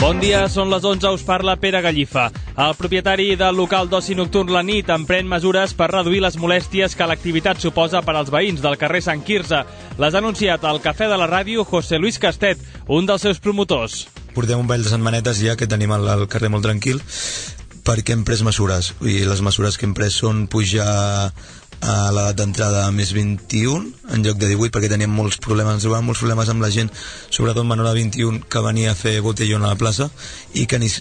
Bon dia, són les 11, us parla Pere Gallifa. El propietari del local d'oci nocturn La Nit emprèn mesures per reduir les molèsties que l'activitat suposa per als veïns del carrer Sant Quirze. Les ha anunciat al Cafè de la Ràdio José Luis Castet, un dels seus promotors. Portem un parell de setmanetes ja que tenim el carrer molt tranquil perquè hem pres mesures. I les mesures que hem pres són pujar a l'edat d'entrada a més 21 en lloc de 18, perquè teníem molts problemes, ens trobàvem molts problemes amb la gent, sobretot menor de 21, que venia a fer botellón a la plaça i que ni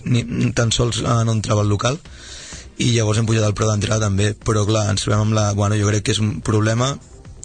tan sols no entrava al local, i llavors hem pujat el preu d'entrada també, però clar, ens trobem amb jo crec que és un problema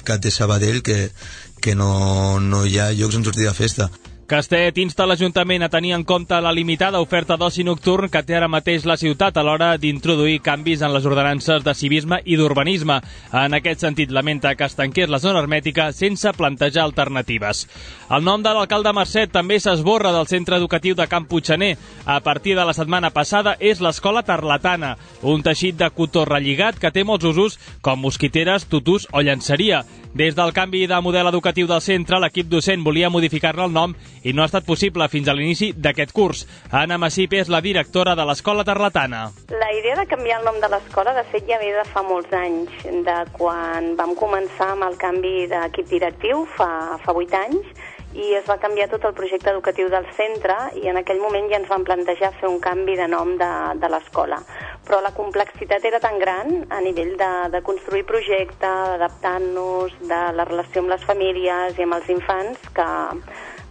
que té Sabadell, que no hi ha llocs on sortir de festa. Castet insta l'Ajuntament a tenir en compte la limitada oferta d'oci nocturn que té ara mateix la ciutat a l'hora d'introduir canvis en les ordenances de civisme i d'urbanisme. En aquest sentit, lamenta que es tanqués la zona hermètica sense plantejar alternatives. El nom de l'alcalde Marcet també s'esborra del centre educatiu de Camp Puiggener. A partir de la setmana passada és l'Escola Tarlatana, un teixit de cotó relligat que té molts usos com mosquiteres, tutús o llançeria. Des del canvi de model educatiu del centre, l'equip docent volia modificar-ne el nom i no ha estat possible fins a l'inici d'aquest curs. Anna Massip és la directora de l'Escola Tarlatana. La idea de canviar el nom de l'escola, de fet, ja ve de fa molts anys, de quan vam començar amb el canvi d'equip directiu, fa 8 anys, i es va canviar tot el projecte educatiu del centre i en aquell moment ja ens vam plantejar fer un canvi de nom de l'escola. Però la complexitat era tan gran a nivell de construir projecte, d'adaptar-nos, de la relació amb les famílies i amb els infants, que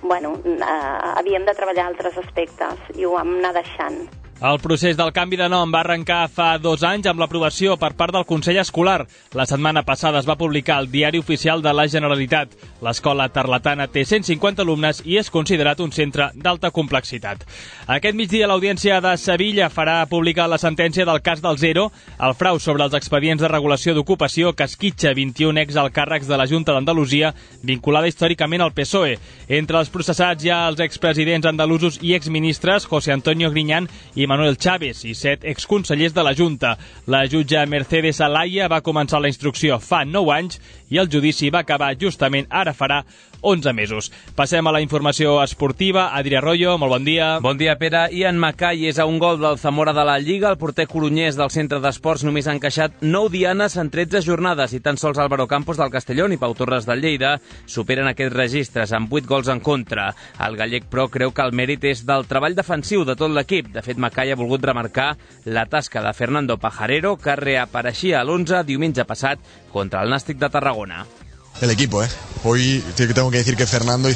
havíem de treballar altres aspectes i ho vam anar deixant. El procés del canvi de nom va arrencar fa 2 anys amb l'aprovació per part del Consell Escolar. La setmana passada es va publicar al Diari Oficial de la Generalitat. L'escola tarlatana té 150 alumnes i és considerat un centre d'alta complexitat. Aquest migdia l'Audiència de Sevilla farà pública la sentència del cas del Zero, el frau sobre els expedients de regulació d'ocupació que esquitxa 21 exalcàrrecs de la Junta d'Andalusia vinculada històricament al PSOE. Entre els processats hi ha els expresidents andalusos i exministres José Antonio Griñán i Manuel Chávez i 7 exconsellers de la Junta. La jutge Mercedes Alaya va començar la instrucció fa 9 anys i el judici va acabar justament ara farà 11 mesos. Passem a la informació esportiva. Adri Arroyo, molt bon dia. Bon dia, Pere. Ian Mackay és a un gol del Zamora de la Lliga. El porter corunyès del centre d'esports només ha encaixat 9 dianes en 13 jornades i tan sols Álvaro Campos del Castellón i Pau Torres del Lleida superen aquests registres amb 8 gols en contra. El gallec, però, creu que el mèrit és del treball defensiu de tot l'equip. De fet, Mackay ha volgut remarcar la tasca de Fernando Pajarero, que reapareixia a l'11 diumenge passat contra el Nàstic de Tarragona. El equipo, hoy tengo que decir que Fernando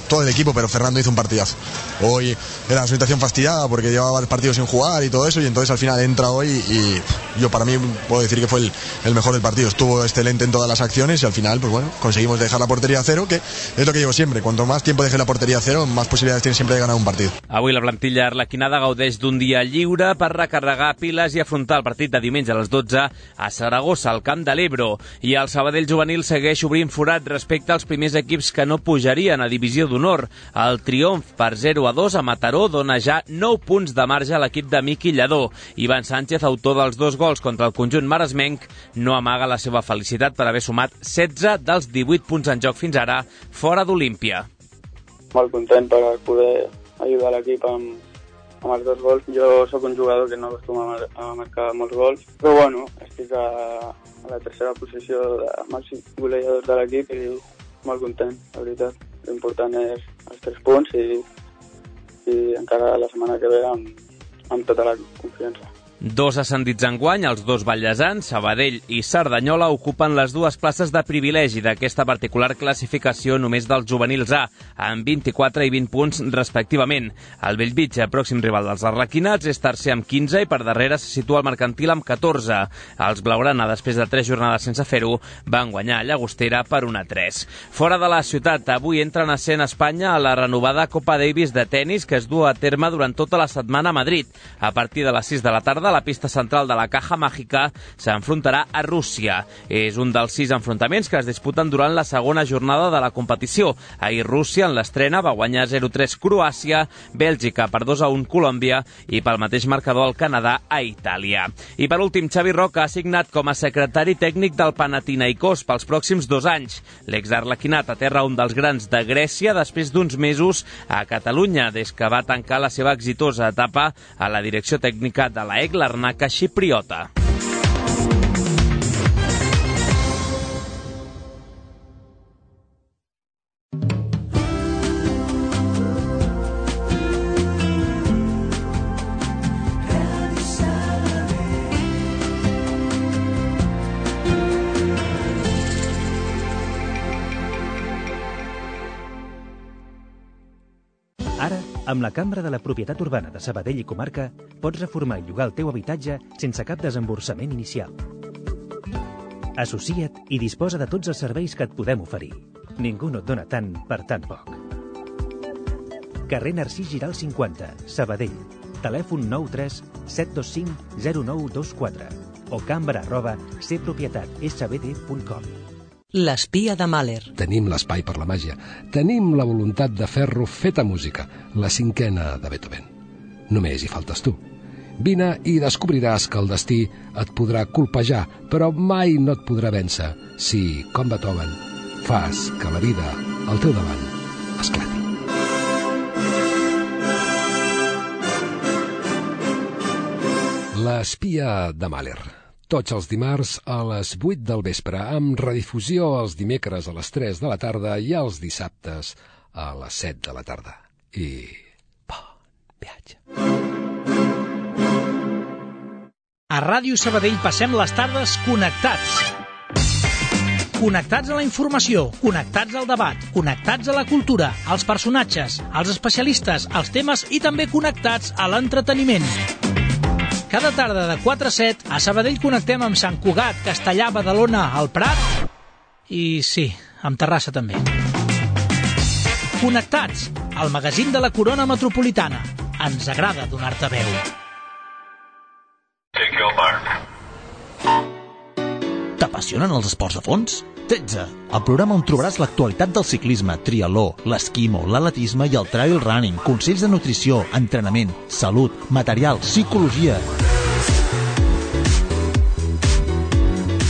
todo el equipo, pero Fernando hizo un partidazo. Hoy era una situación fastidiada porque llevaba el partido sin jugar y todo eso, y entonces al final entra hoy y yo para mí puedo decir que fue el mejor del partido. Estuvo excelente en todas las acciones y al final, pues bueno, conseguimos dejar la portería a cero, que es lo que digo siempre, cuanto más tiempo deje la portería a cero, más posibilidades tienes siempre de ganar un partido. Avui la plantilla arlequinada gaudeix d'un dia lliure per recarregar piles i afrontar el partit de diumenge a les 12 a Saragossa, al Camp de l'Ebro, i el Sabadell juvenil segueix obrint forat respecte als primers equips que no pujarien a Divisió d'Honor. El triomf per 0-2 a Mataró dona ja 9 punts de marge a l'equip de Miqui Lledó. Ivan Sánchez, autor dels 2 gols contra el conjunt maresmenc, no amaga la seva felicitat per haver sumat 16 dels 18 punts en joc fins ara fora d'Olímpia. Molt content per poder ajudar l'equip amb els 2 gols. Jo sóc un jugador que no acostuma a marcar molts gols, però bueno, estic a la tercera posició de màxim golejador de l'equip i molt content, la veritat. L'important és els 3 punts i encara la setmana que ve amb tota la confiança. 2 ascendits enguany, els 2 vallesans, Sabadell i Cerdanyola, ocupen les 2 places de privilegi d'aquesta particular classificació només dels juvenils A, amb 24 i 20 punts respectivament. El Bellvitge, pròxim rival dels arlequinats, és tercer amb 15 i per darrere se situa el Mercantil amb 14. Els blaugrana, després de 3 jornades sense fer-ho, van guanyar a Llagostera per 1-3. Fora de la ciutat, avui entra en escena a Espanya a la renovada Copa Davis de tennis que es du a terme durant tota la setmana a Madrid. A partir de les 6 de la tarda, tarda, la pista central de la Caja Mágica s'enfrontarà a Rússia. És un dels 6 enfrontaments que es disputen durant la segona jornada de la competició. Ahir Rússia, en l'estrena, va guanyar 0-3 Croàcia, Bèlgica per 2-1 Colòmbia i pel mateix marcador el Canadà a Itàlia. I per últim, Xavi Roca ha signat com a secretari tècnic del Panathinaikos pels pròxims 2 anys. L'exarlequinat aterra un dels grans de Grècia després d'uns mesos a Catalunya, des que va tancar la seva exitosa etapa a la direcció tècnica de la AEK Larnaca xipriota. Ara, amb la Cambra de la Propietat Urbana de Sabadell i Comarca, pots reformar i llogar el teu habitatge sense cap desemborsament inicial. Associa't i disposa de tots els serveis que et podem oferir. Ningú no et dona tant per tan poc. Carrer Narcís Giral 50, Sabadell. Telèfon 93 725 0924 o cambra@cpropietatsbd.com. L'espia de Mahler. Tenim l'espai per la màgia. Tenim la voluntat de fer-lo feta música, la 5a de Beethoven. Només hi faltes tu. Vine i descobriràs que el destí et podrà colpejar, però mai no et podrà vèncer si, com Beethoven, fas que la vida al teu davant esclati. L'espia de Mahler. Tots els dimarts a les 8 del vespre, amb redifusió els dimecres a les 3 de la tarda i els dissabtes a les 7 de la tarda. I bon viatge. A Ràdio Sabadell passem les tardes connectats. Connectats a la informació, connectats al debat, connectats a la cultura, als personatges, als especialistes, als temes i també connectats a l'entreteniment. Cada tarda de 4 a 7 a Sabadell connectem amb Sant Cugat, Castellà, Badalona, el Prat i, sí, amb Terrassa també. Connectats, al magazín de la Corona Metropolitana. Ens agrada donar-te veu. T'apassionen els esports a fons? 13. El programa on trobaràs l'actualitat del ciclisme, triatló, l'esquimo, l'atletisme i el trail running, consells de nutrició, entrenament, salut, material, psicologia.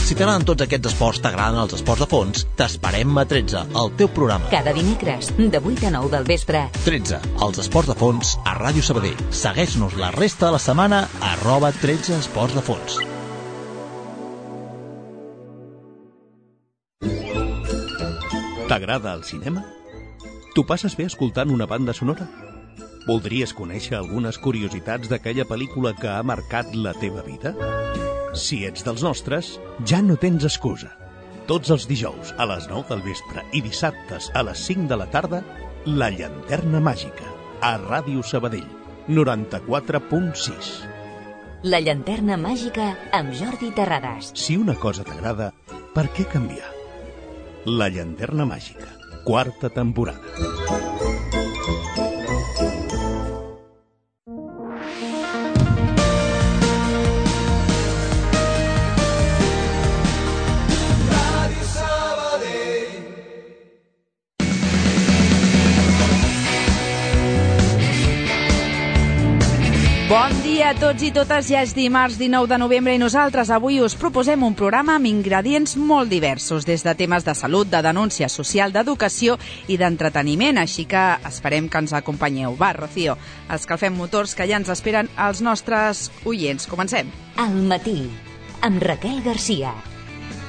Si t'agraden tots aquests esports, t'agraden els esports a fons, t'esperem a 13, el teu programa. Cada dimecres, de 8 a 9 del vespre. 13, els esports de fons a Ràdio Sabadell. Segueix-nos la resta de la setmana a @13 esports de fons. T'agrada el cinema? T'ho passes bé escoltant una banda sonora? Voldries conèixer algunes curiositats d'aquella pel·lícula que ha marcat la teva vida? Si ets dels nostres, ja no tens excusa. Tots els dijous a les 9 del vespre i dissabtes a les 5 de la tarda, La Llanterna Màgica, a Ràdio Sabadell, 94.6. La Llanterna Màgica amb Jordi Terrades. Si una cosa t'agrada, per què canviar? La Llanterna Màgica, 4a temporada. Bon dia a tots i totes, ja és dimarts 19 de novembre i nosaltres avui us proposem un programa amb ingredients molt diversos, des de temes de salut, de denúncia social, d'educació i d'entreteniment, així que esperem que ens acompanyeu. Va, Rocío, escalfem motors que ja ens esperen els nostres oients. Comencem. Al matí, amb Raquel Garcia.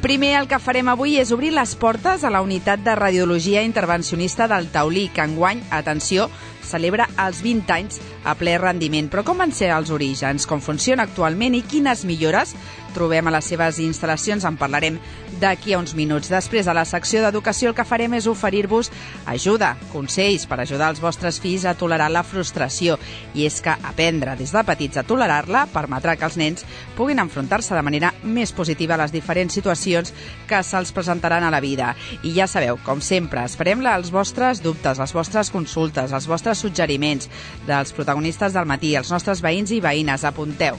Primer, el que farem avui és obrir les portes a la unitat de radiologia intervencionista del Taulí, que enguany, atenció, celebra els 20 anys a ple rendiment. Però com van ser els orígens, com funciona actualment i quines millores trobem a les seves instal·lacions? En parlarem d'aquí a uns minuts. Després, a la secció d'educació, el que farem és oferir-vos ajuda, consells per ajudar els vostres fills a tolerar la frustració. I és que aprendre des de petits a tolerar-la permetrà que els nens puguin enfrontar-se de manera més positiva a les diferents situacions que se'ls presentaran a la vida. I ja sabeu, com sempre, esperem els vostres dubtes, les vostres consultes, els vostres suggeriments dels protagonistes del matí, els nostres veïns i veïnes. Apunteu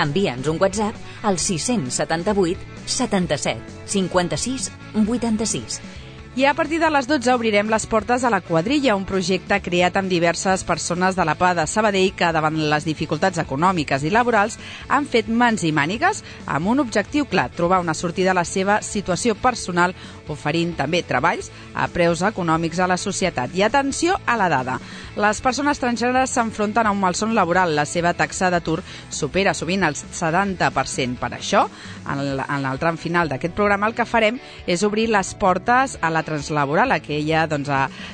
Envia'ns un WhatsApp al 678 77 56 86. I a partir de les 12 obrirem les portes a la Quadrilla, un projecte creat amb diverses persones de la PA de Sabadell que davant les dificultats econòmiques i laborals han fet mans i mànigues amb un objectiu clar, trobar una sortida a la seva situació personal, oferint també treballs a preus econòmics a la societat. I atenció a la dada. Les persones transgèneres s'enfronten a un malson laboral. La seva taxa d'atur supera sovint el 70%. Per això, en el tram final d'aquest programa, el que farem és obrir les portes a la Translaboral, aquella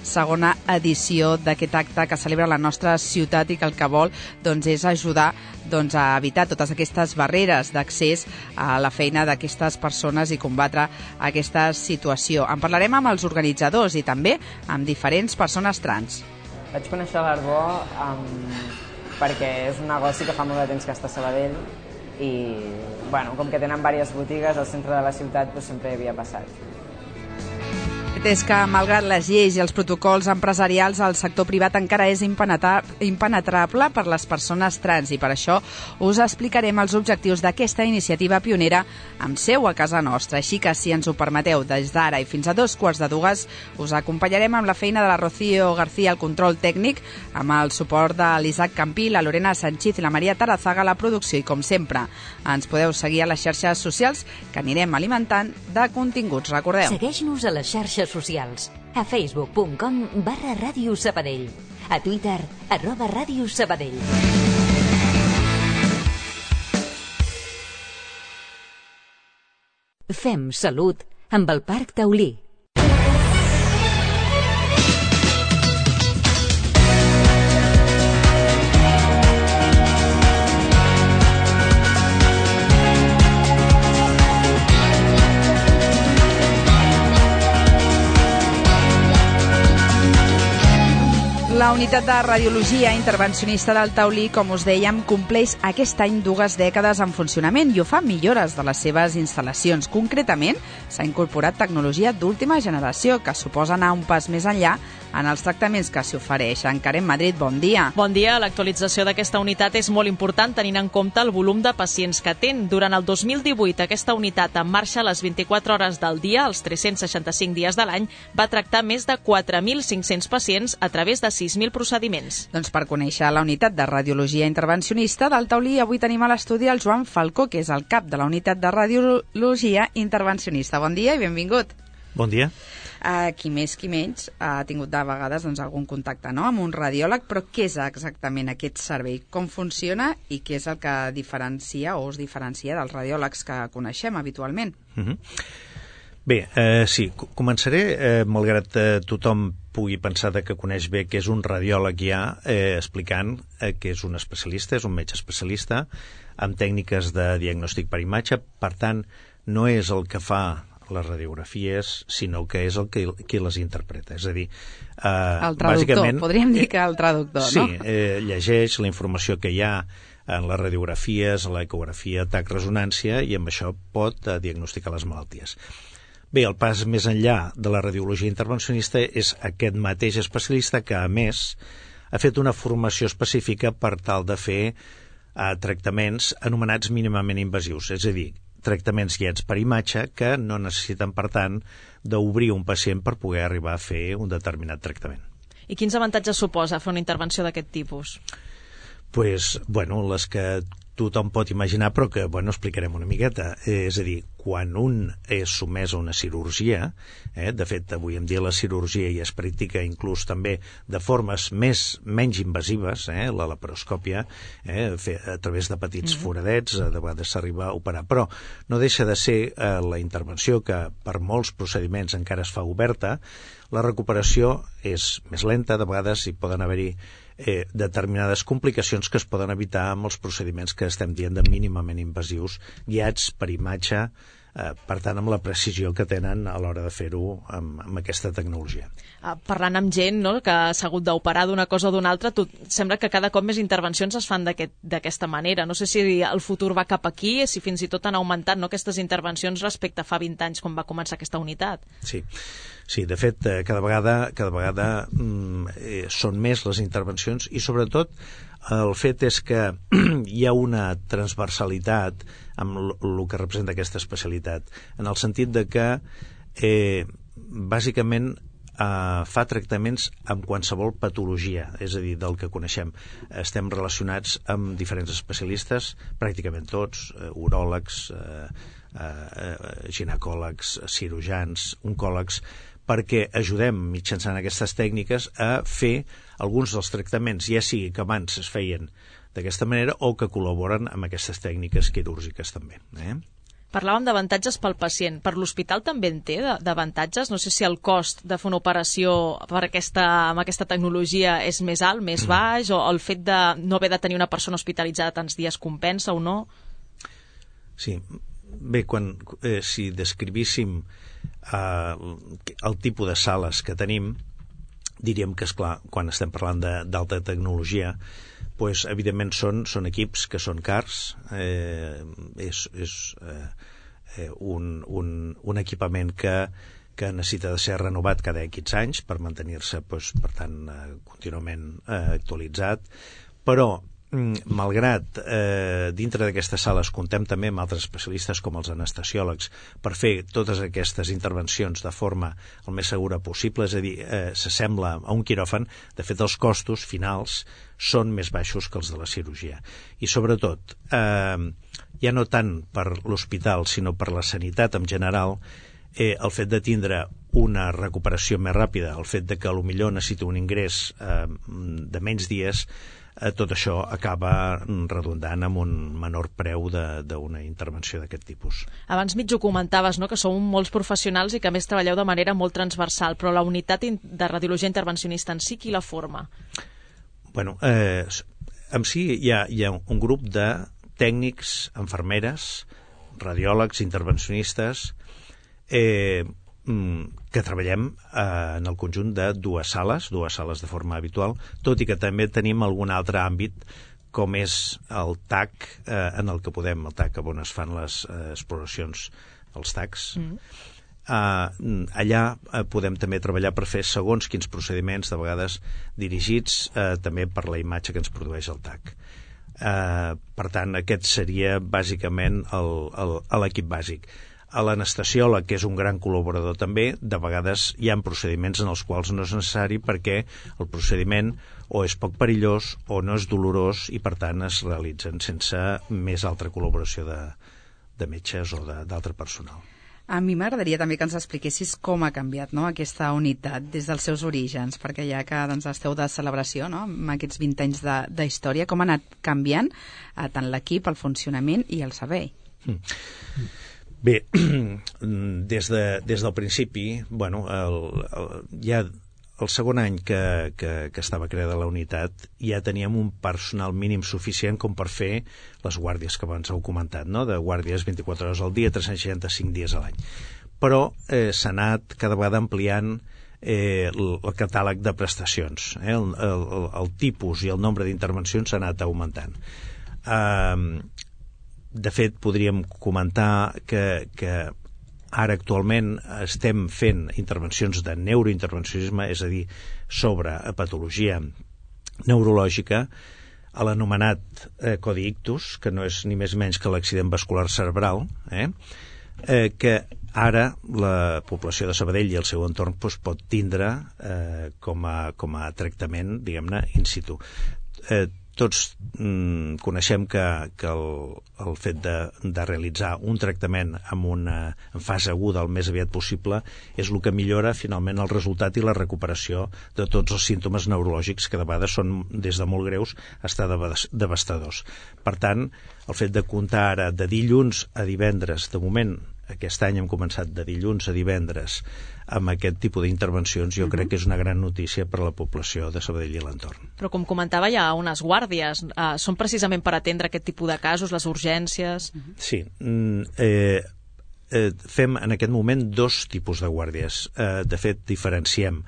segona edició d'aquest acte que celebra la nostra ciutat i que el que vol és ajudar a evitar totes aquestes barreres d'accés a la feina d'aquestes persones i combatre aquesta situació. En parlarem amb els organitzadors i també amb diferents persones trans. Vaig conèixer l'Arbó perquè és un negoci que fa molt de temps que està a Sabadell i com que tenen diverses botigues al centre de la ciutat sempre hi havia passat. És que, malgrat les lleis i els protocols empresarials, el sector privat encara és impenetrable per les persones trans i per això us explicarem els objectius d'aquesta iniciativa pionera amb seu a casa nostra. Així que, si ens ho permeteu, des d'ara i fins a 2:45 us acompanyarem amb la feina de la Rocío García al control tècnic, amb el suport de l'Isaac Campí, la Lorena Sanchiz i la Maria Tarazaga a la producció i, com sempre, ens podeu seguir a les xarxes socials que anirem alimentant de continguts. Recordeu. Segueix-nos a les xarxes socials, a facebook.com/Ràdio Sabadell, a Twitter @Ràdio Sabadell. Fem salut amb el Parc Taulí. La unitat de radiologia intervencionista del Taulí, com us dèiem, compleix aquest any 2 dècades en funcionament i ho fa millores de les seves instal·lacions. Concretament, s'ha incorporat tecnologia d'última generació que suposa anar un pas més enllà en els tractaments que s'hi ofereixen. Karen Madrid, bon dia. Bon dia. L'actualització d'aquesta unitat és molt important tenint en compte el volum de pacients que atén. Durant el 2018, aquesta unitat en marxa a les 24 hores del dia, els 365 dies de l'any, va tractar més de 4.500 pacients a través de 6.000 procediments. Doncs per conèixer la unitat de radiologia intervencionista del Taulí, avui tenim a l'estudi el Joan Falcó, que és el cap de la unitat de radiologia intervencionista. Bon dia i benvingut. Bon dia. Qui més, qui menys, ha tingut de vegades algun contacte amb un radiòleg, però què és exactament aquest servei? Com funciona i què és el que diferencia o es diferencia dels radiòlegs que coneixem habitualment? Bé, sí, començaré, malgrat tothom pugui pensar que coneix bé que és un radiòleg ja, explicant que és un especialista, és un metge especialista amb tècniques de diagnòstic per imatge, per tant, no és el que fa les radiografies, sinó que és qui les interpreta. És a dir, el traductor, podríem dir que el traductor, no? Sí, llegeix la informació que hi ha en les radiografies, l'ecografia, TAC, resonància, i amb això pot diagnosticar les malalties. Bé, el pas més enllà de la radiologia intervencionista és aquest mateix especialista que, a més, ha fet una formació específica per tal de fer tractaments anomenats mínimament invasius, és a dir, tractaments guiats per imatge que no necessiten, per tant, d'obrir un pacient per poder arribar a fer un determinat tractament. I quins avantatges suposa fer una intervenció d'aquest tipus? Pues, les que tothom pot imaginar, però que, explicarem una miqueta. És a dir, quan un és sotmès a una cirurgia, de fet, avui en dia la cirurgia ja es practica inclús també de formes menys invasives, la laparoscòpia, a través de petits foradets, de vegades s'arriba a operar, però no deixa de ser la intervenció que per molts procediments encara es fa oberta, la recuperació és més lenta, de vegades hi poden haver-hi determinades complicacions que es poden evitar amb els procediments que estem dient de mínimament invasius, guiats per imatge, per tant, amb la precisió que tenen a l'hora de fer-ho amb aquesta tecnologia. Parlant amb gent que s'ha hagut d'operar d'una cosa o d'una altra, sembla que cada cop més intervencions es fan d'aquesta manera. No sé si el futur va cap aquí, si fins i tot han augmentat aquestes intervencions respecte a fa 20 anys quan va començar aquesta unitat. Sí. Sí, de fet, cada vegada són més les intervencions i sobretot el fet és que hi ha una transversalitat amb el que representa aquesta especialitat, en el sentit de que bàsicament fa tractaments amb qualsevol patologia, és a dir, del que coneixem. Estem relacionats amb diferents especialistes, pràcticament tots, uròlegs, ginecòlegs, cirurgians, oncòlegs, perquè ajudem mitjançant aquestes tècniques a fer alguns dels tractaments, ja sigui que abans es feien d'aquesta manera o que col·laboren amb aquestes tècniques quirúrgiques també. Parlàvem d'avantatges pel pacient. Per l'hospital també en té d'avantatges? No sé si el cost de fer una operació amb aquesta tecnologia és més alt, més baix, o el fet de no haver de tenir una persona hospitalitzada tants dies compensa o no? Sí, bé, si descrivíssim el tipus de sales que tenim, diríem que, esclar, quan estem parlant d'alta tecnologia, pues, evidentment són equips que són cars, és un equipament que necessita de ser renovat cada X anys per mantenir-se, pues, per tant, contínuament actualitzat, però malgrat dintre d'aquestes sales comptem també amb altres especialistes com els anestesiòlegs per fer totes aquestes intervencions de forma el més segura possible, és a dir, s'assembla a un quiròfan. De fet, els costos finals són més baixos que els de la cirurgia. I sobretot, ja no tant per l'hospital sinó per la sanitat en general, el fet de tindre una recuperació més ràpida, el fet de que potser necessiti un ingrés de menys dies, tot això acaba redundant amb un menor preu d'una intervenció d'aquest tipus. Abans mig ho comentaves, no?, que sou molts professionals i que a més treballeu de manera molt transversal, però la unitat de radiologia intervencionista en si, qui la forma? Bueno, en si hi ha un grup de tècnics, infermeres, radiòlegs, intervencionistes, que treballem en el conjunt de dues sales de forma habitual, tot i que també tenim algun altre àmbit com és el TAC, en el que el TAC on es fan les exploracions, els TACs. Allà podem també treballar per fer segons quins procediments, de vegades dirigits també per la imatge que ens produeix el TAC. Per tant, aquest seria bàsicament l'equip bàsic. A l'anestesiòleg, que és un gran col·laborador també, de vegades hi ha procediments en els quals no és necessari perquè el procediment o és poc perillós o no és dolorós i per tant es realitzen sense més altra col·laboració de metges o d'altre personal. A mi m'agradaria també que ens expliquessis com ha canviat, no?, aquesta unitat des dels seus orígens, perquè ja que esteu de celebració, no?, amb aquests 20 anys d'història, com ha anat canviant tant l'equip, el funcionament i el servei. Bé, des del principi, ja el segon any que estava creada la unitat ja teníem un personal mínim suficient com per fer les guàrdies que abans heu comentat, no?, de guàrdies 24 hores al dia, 365 dies a l'any. Però s'ha anat cada vegada ampliant el catàleg de prestacions. El tipus i el nombre d'intervencions s'ha anat augmentant. De fet, podríem comentar que ara actualment estem fent intervencions de neurointervencionisme, és a dir, sobre patologia neurològica, a l'anomenat codi ictus, que no és ni més menys que l'accident vascular cerebral, que ara la població de Sabadell i el seu entorn pot tindre com a tractament, diguem-ne, in situ. Tots coneixem que el fet de realitzar un tractament en fase aguda el més aviat possible és el que millora finalment el resultat i la recuperació de tots els símptomes neurològics que de vegades són des de molt greus fins a devastadors. Per tant, el fet de comptar ara de dilluns a divendres, de moment aquest any hem començat de dilluns a divendres amb aquest tipus d'intervencions, jo crec que és una gran notícia per a la població de Sabadell i l'entorn. Però com comentava, hi ha unes guàrdies. Són precisament per atendre aquest tipus de casos, les urgències? Sí. Fem en aquest moment dos tipus de guàrdies. De fet, diferenciem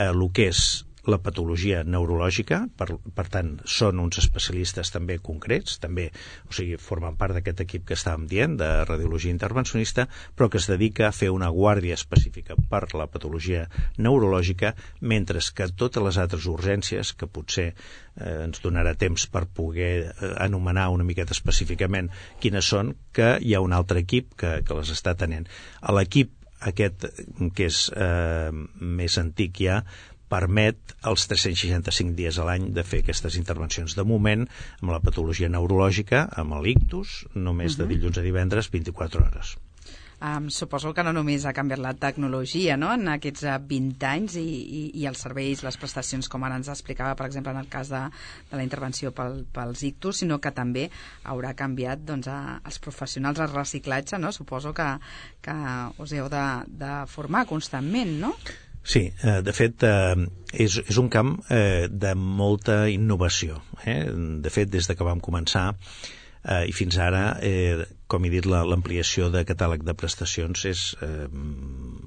el que és la patologia neurològica, per tant, són uns especialistes també concrets, també, o sigui, formen part d'aquest equip que estàvem dient, de radiologia intervencionista, però que es dedica a fer una guàrdia específica per la patologia neurològica, mentre que totes les altres urgències, que potser ens donarà temps per poder anomenar una miqueta específicament quines són, que hi ha un altre equip que les està tenint. L'equip aquest, que és més antic ja, permet els 365 dies a l'any de fer aquestes intervencions. De moment, amb la patologia neurològica, amb l'ictus, només de dilluns a divendres, 24 hores. Suposo que no només ha canviat la tecnologia, no?, en aquests 20 anys i els serveis, les prestacions, com ara ens explicava, per exemple, en el cas de la intervenció pels ictus, sinó que també haurà canviat els professionals, el reciclatge, no? Suposo que us heu de formar constantment, no? Sí, de fet, és un camp de molta innovació. De fet, des que vam començar i fins ara, com he dit, l'ampliació de catàleg de prestacions és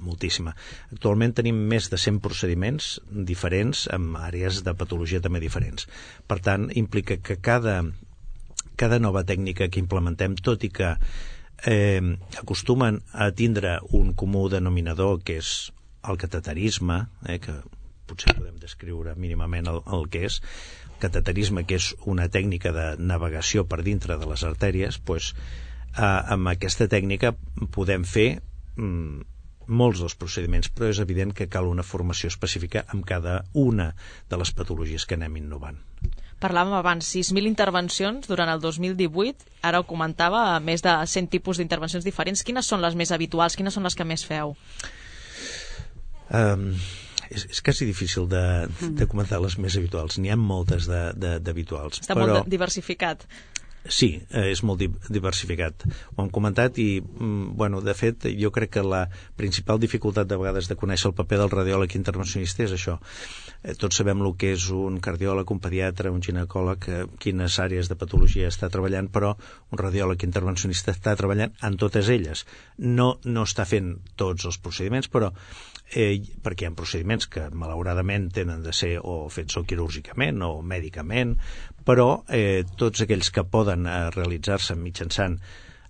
moltíssima. Actualment tenim més de 100 procediments diferents amb àrees de patologia també diferents. Per tant, implica que cada nova tècnica que implementem, tot i que acostumen a tindre un comú denominador, que és el cateterisme, que potser podem descriure mínimament el que és, cateterisme, que és una tècnica de navegació per dintre de les artèries, doncs, amb aquesta tècnica podem fer molts dels procediments, però és evident que cal una formació específica amb cada una de les patologies que anem innovant. Parlàvem abans, 6.000 intervencions durant el 2018, ara ho comentava, més de 100 tipus d'intervencions diferents. Quines són les més habituals? Quines són les que més feu? És quasi difícil de comentar les més habituals. N'hi ha moltes d'habituals. Està molt diversificat. Sí, és molt diversificat. Ho hem comentat i, de fet, jo crec que la principal dificultat de vegades de conèixer el paper del radiòleg intervencionista és això. Tots sabem el que és un cardiòleg, un pediatre, un ginecòleg, quines àrees de patologia està treballant, però un radiòleg intervencionista està treballant en totes elles. No està fent tots els procediments, però perquè hi ha procediments que malauradament tenen de ser o fets quirúrgicament o mèdicament, però tots aquells que poden realitzar-se mitjançant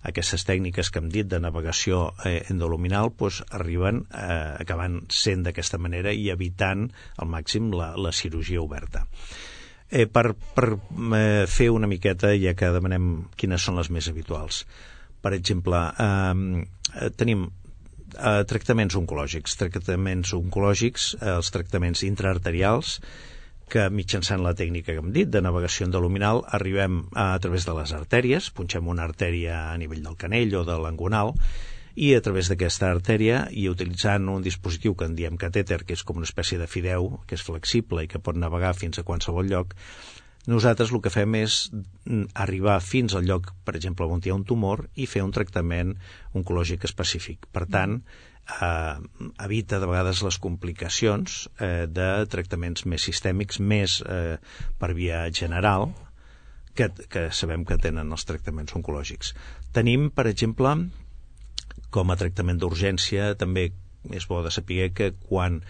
aquestes tècniques que hem dit de navegació endoluminal arriben acabant sent d'aquesta manera i evitant al màxim la cirurgia oberta. Per fer una miqueta, ja que demanem quines són les més habituals, per exemple, tenim tractaments oncològics, els tractaments intraarterials, que mitjançant la tècnica que hem dit de navegació endoluminal arribem a través de les artèries, punxem una artèria a nivell del canell o de l'angonal i a través d'aquesta artèria i utilitzant un dispositiu que en diem catèter, que és com una espècie de fideu, que és flexible i que pot navegar fins a qualsevol lloc, nosaltres el que fem és arribar fins al lloc, per exemple, on hi ha un tumor i fer un tractament oncològic específic. Per tant, evita de vegades les complicacions de tractaments més sistèmics, més per via general, que sabem que tenen els tractaments oncològics. Tenim, per exemple, com a tractament d'urgència, també és bo de saber que quan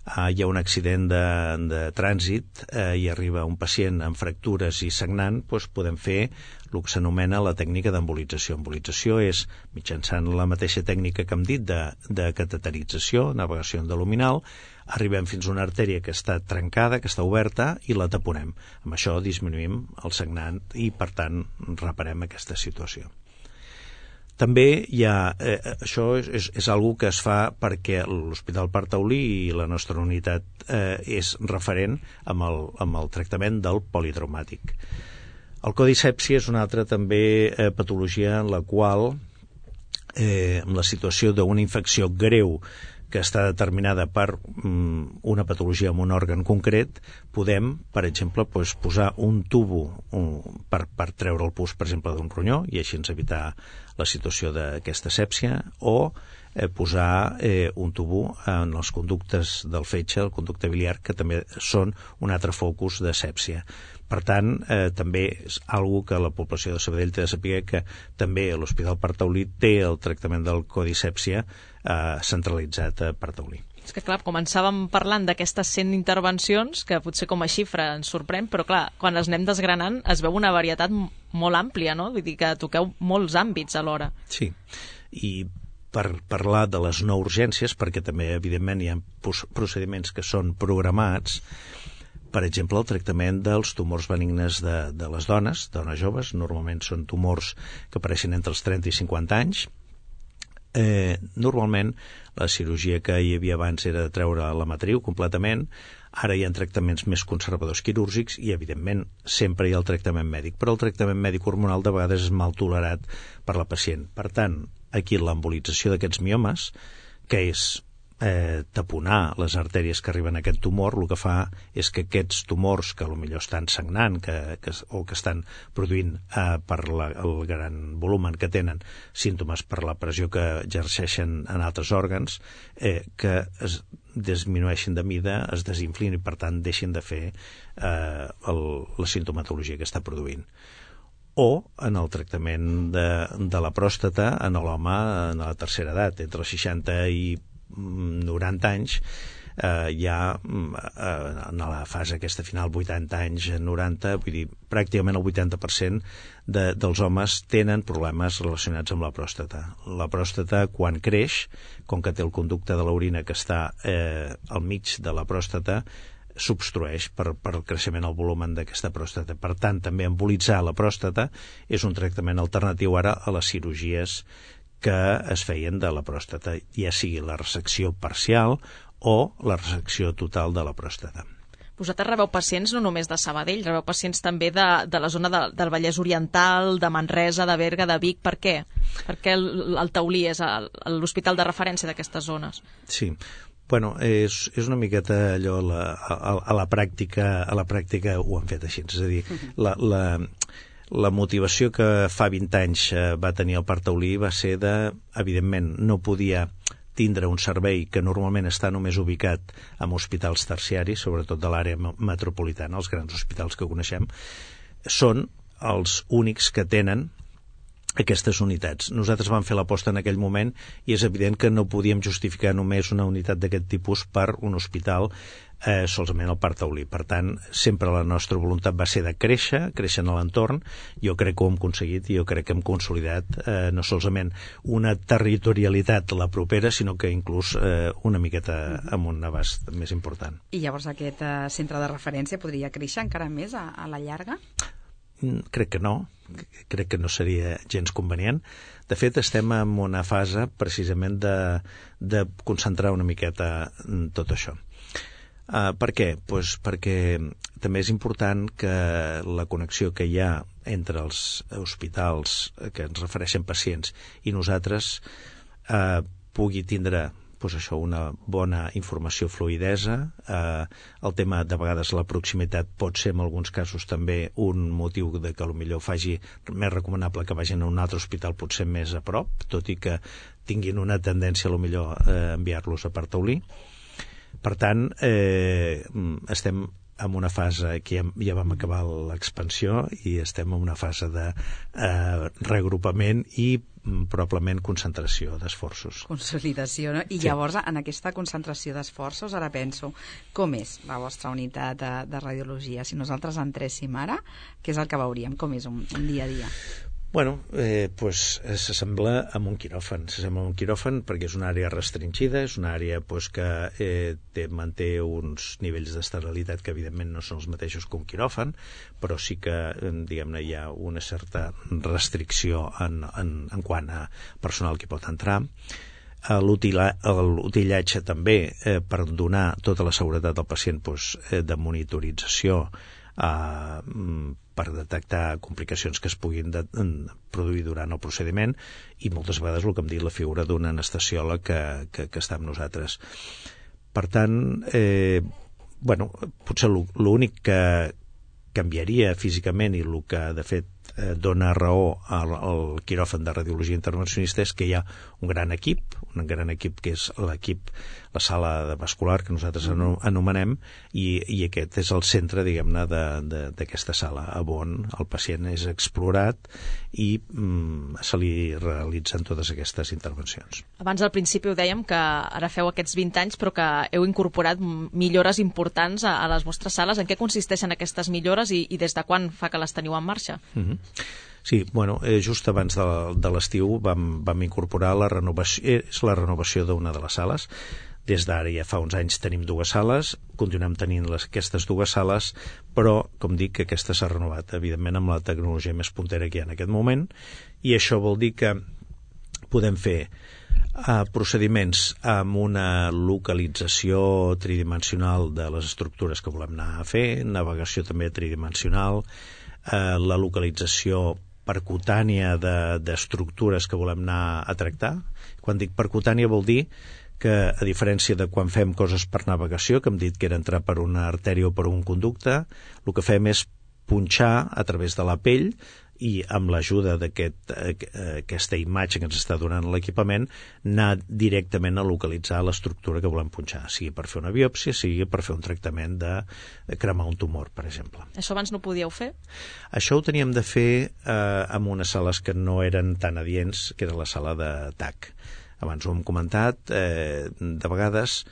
hi ha un accident de trànsit i arriba un pacient amb fractures i sagnant, podem fer el que s'anomena la tècnica d'embolització. Embolització és, mitjançant la mateixa tècnica que hem dit de cateterització, navegació endoluminal, arribem fins a una artèria que està trencada, que està oberta, i la taponem. Amb això disminuïm el sagnant i, per tant, reparem aquesta situació. També hi ha, això és algo que es fa perquè l'Hospital Parc Taulí i la nostra unitat és referent amb el tractament del politraumàtic. El codisèpsia és una altra també patologia en la qual, amb la situació d'una infecció greu que està determinada per una patologia en un òrgan concret, podem, per exemple, posar un tubo per treure el pus, per exemple, d'un ronyó, i així ens evitar la situació d'aquesta sèpsia, o posar un tubo en els conductes del fetge, el conducte biliar, que també són un altre focus de sèpsia. Per tant, també és algo que la població de Sabadell té de saber, que també l'Hospital Parc Taulí té el tractament del codisèpsia centralitzat a Parc Taulí. És que, clar, començàvem parlant d'aquestes 100 intervencions, que potser com a xifra ens sorprèn, però, clar, quan les anem desgranant es veu una varietat molt àmplia, no? Vull dir que toqueu molts àmbits alhora. Sí, i per parlar de les no urgències, perquè també, evidentment, hi ha procediments que són programats, per exemple, el tractament dels tumors benignes de les dones joves, normalment són tumors que apareixen entre els 30 i 50 anys. Normalment la cirurgia que hi havia abans era de treure la matriu completament, ara hi ha tractaments més conservadors quirúrgics i evidentment sempre hi ha el tractament mèdic, però el tractament mèdic hormonal de vegades és mal tolerat per la pacient. Per tant, aquí l'embolització d'aquests miomes, que és taponar les artèries que arriben a aquest tumor, el que fa és que aquests tumors que potser estan sagnant o que estan produint per el gran volumen que tenen símptomes per la pressió que exerceixen en altres òrgans, que es disminueixin de mida, es desinflin i per tant deixin de fer la sintomatologia que està produint. O en el tractament de la pròstata en l'home en la tercera edat, entre els 60 i 90 anys, ja en la fase aquesta final, 80 anys, 90, vull dir, pràcticament el 80% dels homes tenen problemes relacionats amb la pròstata. La pròstata, quan creix, com que té el conducte de l'orina que està al mig de la pròstata, s'obstrueix per el creixement al volumen d'aquesta pròstata. Per tant, també embolitzar la pròstata és un tractament alternatiu ara a les cirurgies que es feien de la pròstata, ja sigui la resecció parcial o la resecció total de la pròstata. Vosaltres rebeu pacients no només de Sabadell, rebeu pacients també de la zona del Vallès Oriental, de Manresa, de Berga, de Vic. Per què? Per què el Taulí és l'hospital de referència d'aquestes zones? Sí, bueno, és una miqueta allò, a la pràctica ho han fet així, és a dir, la motivació que fa 20 anys va tenir el Parc Taulí va ser evidentment, no podia tindre un servei que normalment està només ubicat en hospitals terciaris, sobretot de l'àrea metropolitana, els grans hospitals que coneixem, són els únics que tenen aquestes unitats. Nosaltres vam fer l'aposta en aquell moment i és evident que no podíem justificar només una unitat d'aquest tipus per un hospital solament al Parc Taulí. Per tant, sempre la nostra voluntat va ser de créixer en l'entorn. Jo crec que ho hem aconseguit i jo crec que hem consolidat no solament una territorialitat la propera, sinó que inclús una miqueta amb un abast més important. I llavors aquest centre de referència podria créixer encara més a la llarga? Crec que no seria gens convenient. De fet, estem en una fase precisament de concentrar una miqueta tot això. Per què? Pues perquè també és important que la connexió que hi ha entre els hospitals que ens refereixen pacients i nosaltres pugui tindre una bona informació, fluïdesa. El tema, de vegades, la proximitat pot ser, en alguns casos, també un motiu de que potser faci més recomanable que vagin a un altre hospital potser més a prop, tot i que tinguin una tendència, potser, a enviar-los a Parc Taulí. Per tant, estem en una fase que ja vam acabar l'expansió i estem en una fase de reagrupament i probablement concentració d'esforços. Consolidació, no? I sí. Llavors, en aquesta concentració d'esforços, ara penso, com és la vostra unitat de radiologia? Si nosaltres entréssim ara, què és el que veuríem? Com és un dia a dia? Bueno, s'assembla amb un quiròfan. S'assembla amb un quiròfan perquè és una àrea restringida, és una àrea que manté uns nivells d'esterilitat que evidentment no són els mateixos que un quiròfan, però sí que, diguem-ne, hi ha una certa restricció en quant a personal que pot entrar. L'utillatge també per donar tota la seguretat al pacient de monitorització per detectar complicacions que es puguin produir durant el procediment i moltes vegades el que em diu la figura d'un anestesiòleg que està amb nosaltres. Per tant, potser l'únic que canviaria físicament i el que de fet dona raó al quiròfan de radiologia intervencionista és que hi ha un gran equip que és la sala de vascular, que nosaltres anomenem, i aquest és el centre, diguem-ne, d'aquesta sala, on el pacient és explorat i se li realitzen totes aquestes intervencions. Abans al principi ho dèiem que ara feu aquests 20 anys però que heu incorporat millores importants a les vostres sales. En què consisteixen aquestes millores i des de quan fa que les teniu en marxa? Sí, bueno, just abans de l'estiu vam incorporar la renovació d'una de les sales. Des d'ara ja fa uns anys tenim 2 sales, continuem tenint aquestes 2 sales, però, com dic, que aquesta s'ha renovat, evidentment, amb la tecnologia més puntera que hi ha en aquest moment, i això vol dir que podem fer procediments amb una localització tridimensional de les estructures que volem anar a fer, navegació també tridimensional, la localització percutània d'estructures que volem anar a tractar. Quan dic percutània vol dir que, a diferència de quan fem coses per navegació, que hem dit que era entrar per una artèria o per un conducte, el que fem és punxar a través de la pell i amb l'ajuda d'aquesta imatge que ens està donant l'equipament, anar directament a localitzar l'estructura que volem punxar, sigui per fer una biòpsia, sigui per fer un tractament de cremar un tumor, per exemple. Això abans no ho podíeu fer? Això ho teníem de fer en unes sales que no eren tan adients, que era la sala de TAC. Abans ho hem comentat, de vegades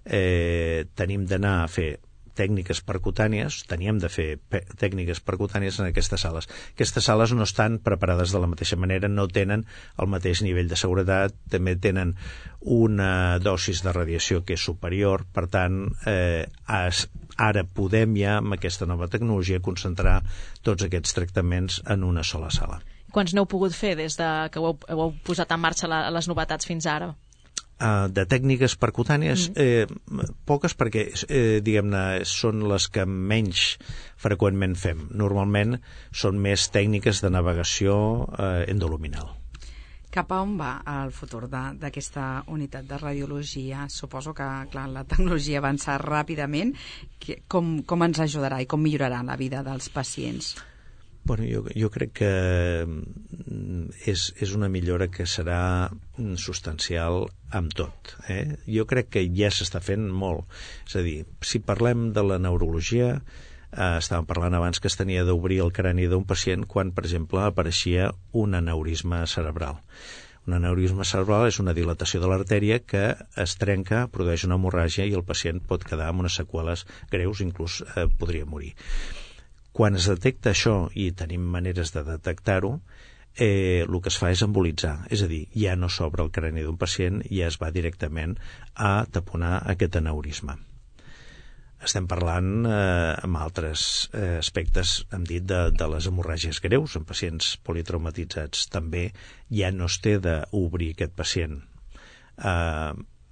tenim d'anar a fer tècniques percutànies, teníem de fer tècniques percutànies en aquestes sales. Aquestes sales no estan preparades de la mateixa manera, no tenen el mateix nivell de seguretat, també tenen una dosis de radiació que és superior, per tant, ara podem ja, amb aquesta nova tecnologia, concentrar tots aquests tractaments en una sola sala. Quants n'heu pogut fer des que heu posat en marxa les novetats fins ara? De tècniques percutànies, poques, perquè diguem-ne són les que menys freqüentment fem. Normalment són més tècniques de navegació endoluminal. Cap a on va el futur d'aquesta unitat de radiologia? Suposo que, clar, la tecnologia avança ràpidament. Com ens ajudarà i com millorarà la vida dels pacients? Bueno, jo crec que és una millora que serà substancial amb tot. Jo crec que ja s'està fent molt. És a dir, si parlem de la neurologia, estàvem parlant abans que es tenia d'obrir el crani d'un pacient quan, per exemple, apareixia un aneurisma cerebral. Un aneurisma cerebral és una dilatació de l'artèria que es trenca, produeix una hemorràgia i el pacient pot quedar amb unes seqüeles greus, inclús podria morir. Quan es detecta això, i tenim maneres de detectar-ho, el que es fa és embolitzar, és a dir, ja no s'obre el crani d'un pacient, ja es va directament a taponar aquest aneurisma. Estem parlant amb altres aspectes, hem dit, de les hemorràgies greus, en pacients politraumatitzats. També ja no es té d'obrir aquest pacient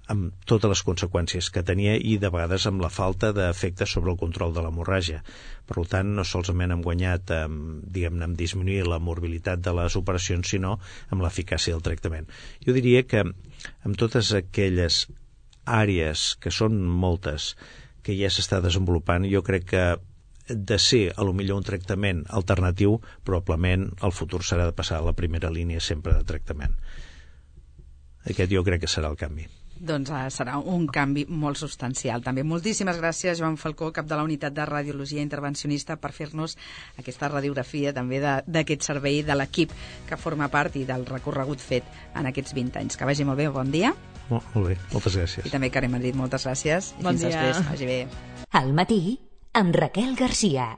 amb totes les conseqüències que tenia i de vegades amb la falta d'efecte sobre el control de l'hemorràgia. Per tant, no solament hem guanyat diguem-ne, en disminuir la morbilitat de les operacions, sinó amb l'eficàcia del tractament. Jo diria que amb totes aquelles àrees, que són moltes, que ja s'està desenvolupant, jo crec que de ser, a lo millor, un tractament alternatiu, probablement el futur serà de passar a la primera línia sempre de tractament. Aquest jo crec que serà el canvi. Doncs serà un canvi molt substancial. També moltíssimes gràcies, Joan Falcó, cap de la Unitat de Radiologia Intervencionista, per fer-nos aquesta radiografia també d'aquest servei, de l'equip que forma part i del recorregut fet en aquests 20 anys. Que vagi molt bé, bon dia. Molt bé, moltes gràcies. I també Karen Madrid, moltes gràcies. Bon dia. Fins després, vagi bé. Al matí, amb Raquel Garcia.